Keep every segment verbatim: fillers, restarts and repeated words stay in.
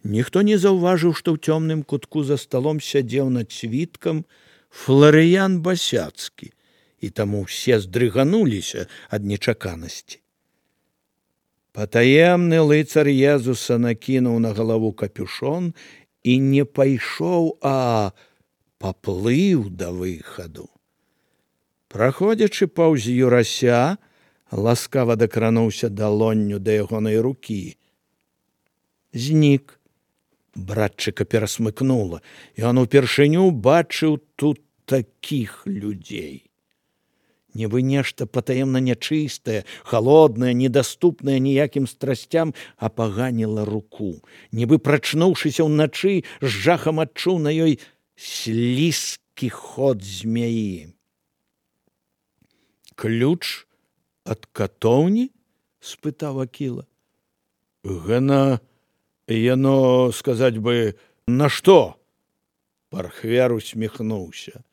Ніхто не заўважыў, што ў цёмным кутку за сталом сядзеў над світкам Фларыян Басяцкі, і таму ўсе здрыгануліся ад нечаканасці. Патаемны лыцар Езуса накінуў на галаву капюшон і не пайшоў, а паплыў да выхаду. Праходзячы паўз Юрася, ласкава дакрануўся далонню да ягонай рукі. Знік. Братчыка перасмыкнула, і он упершыню бачыў тут такіх людзей. Нібы нешта патаемна нячыстае, халоднае, недаступнае ніякім страсцям, апаганіла руку. Нібы прачнуўшыся ўначы, з жахам адчуў на ёй слізкі ход змяі. Ключ ад катоўні? — спытаў Акіла. Гана... Яно, сказаць бы, на што? Пархвер усміхнуўся.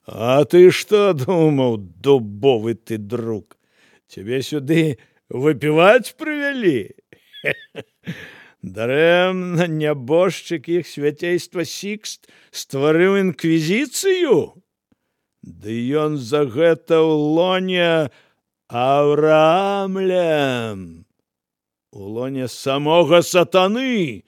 А ты што думаў, дубовы ты друг? Цябе сюды выпіваць прывялі? Дарэмна нябожчык іх свяцейства Сікст стварыў інквізіцыю? Ды ён за гэта ў лоне Аўраамлем. У лоне самога сатаны,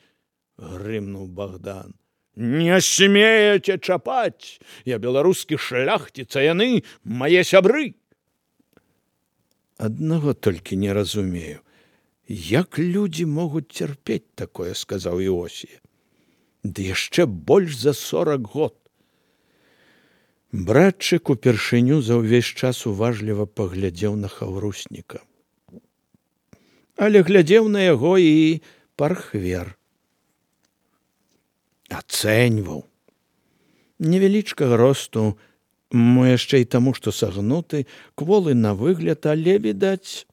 грымнуў Богдан. Не смееце чапаць, я беларускі шляхціц, а яны мае сябры. Аднаго толькі не разумею, як людзі могуць цярпець такое, сказаў Іосія. Ды яшчэ больш за сорак год. Братчык упершыню за ўвесь час уважліва паглядзеў на Хаўрусніка. Але глядзеў на яго і Пархвер. Ацэньваў. Невялічкага росту, мо яшчэ і таму, што сагнуты, кволы на выгляд, але, відаць,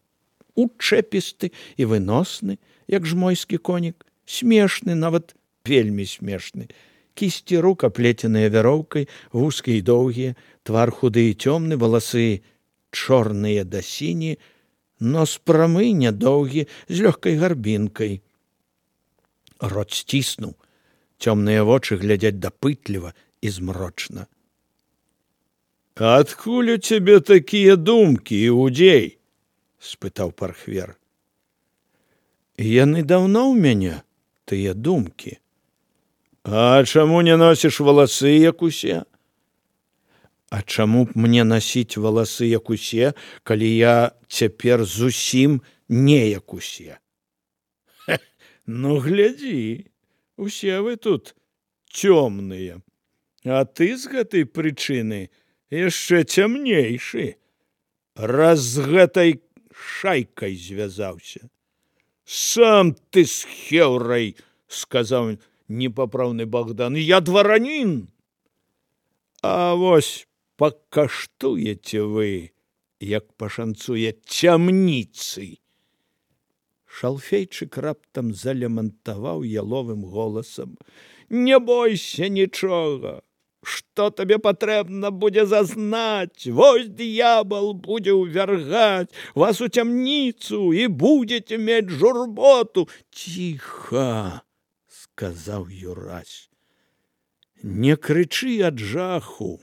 учэпісты і выносны, як жмойскі конік, смешны, нават вельмі смешны. Кісці рук аплеценыя вяроўкай, вузкія і доўгія, твар худы і цёмны, валасы чорныя да сіні, нос прамы, нядоўгі, з лёгкай гарбінкай. Рот сціснуў, цёмныя вочы глядзяць дапытліва і змрочна. Адкуль у цябе такія думкі, іудзей? — спытаў Пархвер. Яны даўно ў мяне, тыя думкі. А чаму не носіш валасы, як усе? А чаму б мне насіць валасы, як усе, калі я цяпер зусім не як усе? Ну, глядзі, усе вы тут цёмныя, а ты з гэтай прычыны яшчэ цямнейшы, раз з гэтай шайкай звязаўся. Сам ты з хеўрай, — сказаў непапраўны Богдан, — я дваранін. А вось пакаштуеце вы, як пашанцуе цямніцы. Шалфейчык раптам залямантаваў яловым голасам. Не бойся нічога. Што табе патрэбна будзе зазнаць? Вось д'ябал будзе ўвяргаць вас у цямніцу і будзеце мець журботу. Ціха, — сказаў Юрась. Не крычы ад жаху,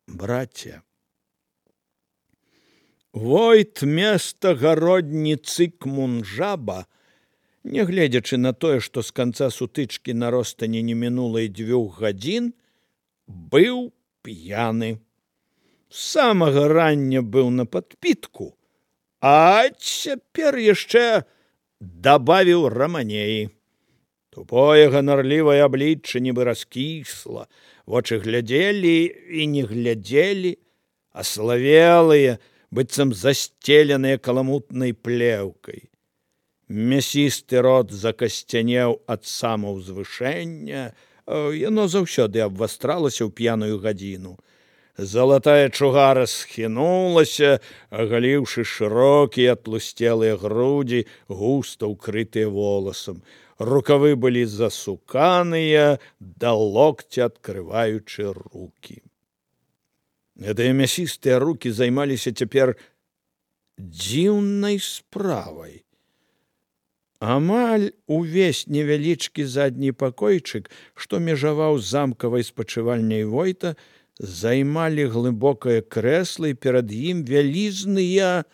браце. Войт места гародніцы Кмунжаба, нягледзячы на тое, што з канца сутычкі на ростані не мінула і дзвюх гадзін, быў п'яны. З самага рання быў на падпітку, а цяпер яшчэ дабавіў раманеі. Тупое ганарлівае аблічча нібы раскісла, вочы глядзелі і не глядзелі, аславелыя, быццам застеленыя каламутнай плеўкай. Мясісты рот закасцянеў ад самаўзвышэння, яно заўсёды абвастралася ў п'яную гадзіну. Залатая чугара схінулася, агаліўшы шырокія атлусцелыя грудзі, густа ўкрытыя воласам. Рукавы былі засуканыя, да локця адкрываючы рукі. Гэтыя мясістыя рукі займаліся цяпер дзіўнай справай. Амаль увесь невялічкі задні пакойчык, што межаваў з замкавай спачывальняй Войта, займалі глыбокае крэсла, і перад ім вялізныя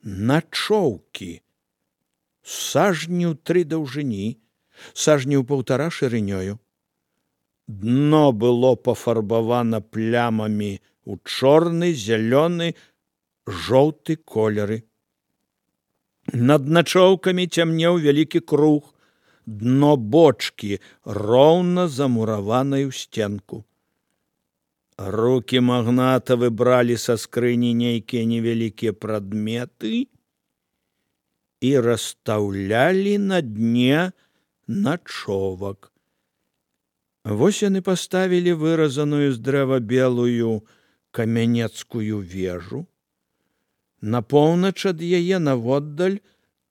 начоўкі. Сажні ў тры даўжыні, сажні ў паўтара шырынёю. Дно было пафарбавана плямамі ў чорны, зялёны, жоўты колеры. Над начоўкамі цямнеў вялікі круг, дно бочкі роўна замураванай у сценку. Рукі магната выбралі са скрыні нейкія невялікія прадметы і расстаўлялі на дне начовак. Вось яны паставілі выразаную з дрэва белую камянецкую вежу. На поўнач ад яе наводдаль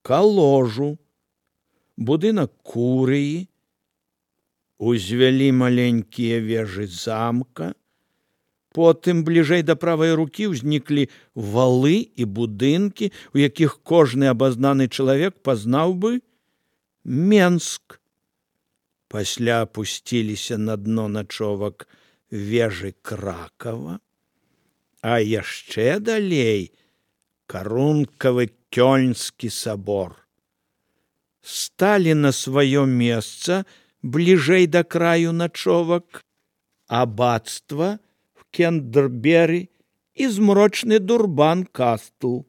каложу, будынак курыі, узвялі маленькія вежы замка, потым бліжэй да правай рукі ўзніклі валы і будынкі, у якіх кожны абазнаны чалавек пазнаў бы Менск. Пасля апусціліся на дно начовак вежы Кракава, а яшчэ далей карункавы Кёльнскі сабор. Сталі на сваё месца бліжэй да краю начовак абацтва в Кентербері і змрочны Дурбан-Кастл.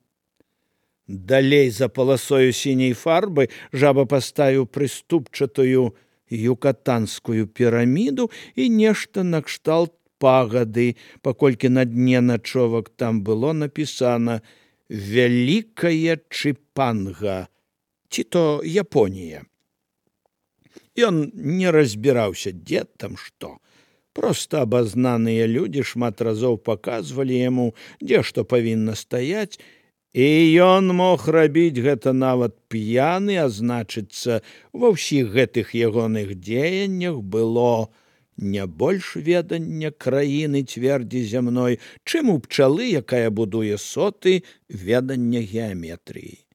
Далей за паласою сіняй фарбы жаба паставіў прыступчатую юкатанскую піраміду і нешта накшталт пагады, паколькі на дне начовак там было напісана «Вялікая Чыпанга», ці то Японія. Ён не разбіраўся, дзе там што. Проста абазнаныя людзі шмат разоў паказвалі яму, дзе што павінна стаяць, і ён мог рабіць гэта нават п'яны, а значыцца, ва ўсіх гэтых ягоных дзеяннях было не больш ведання краіны цвердзі зямной, чым у пчалы, якая будуе соты, ведання геаметрыі.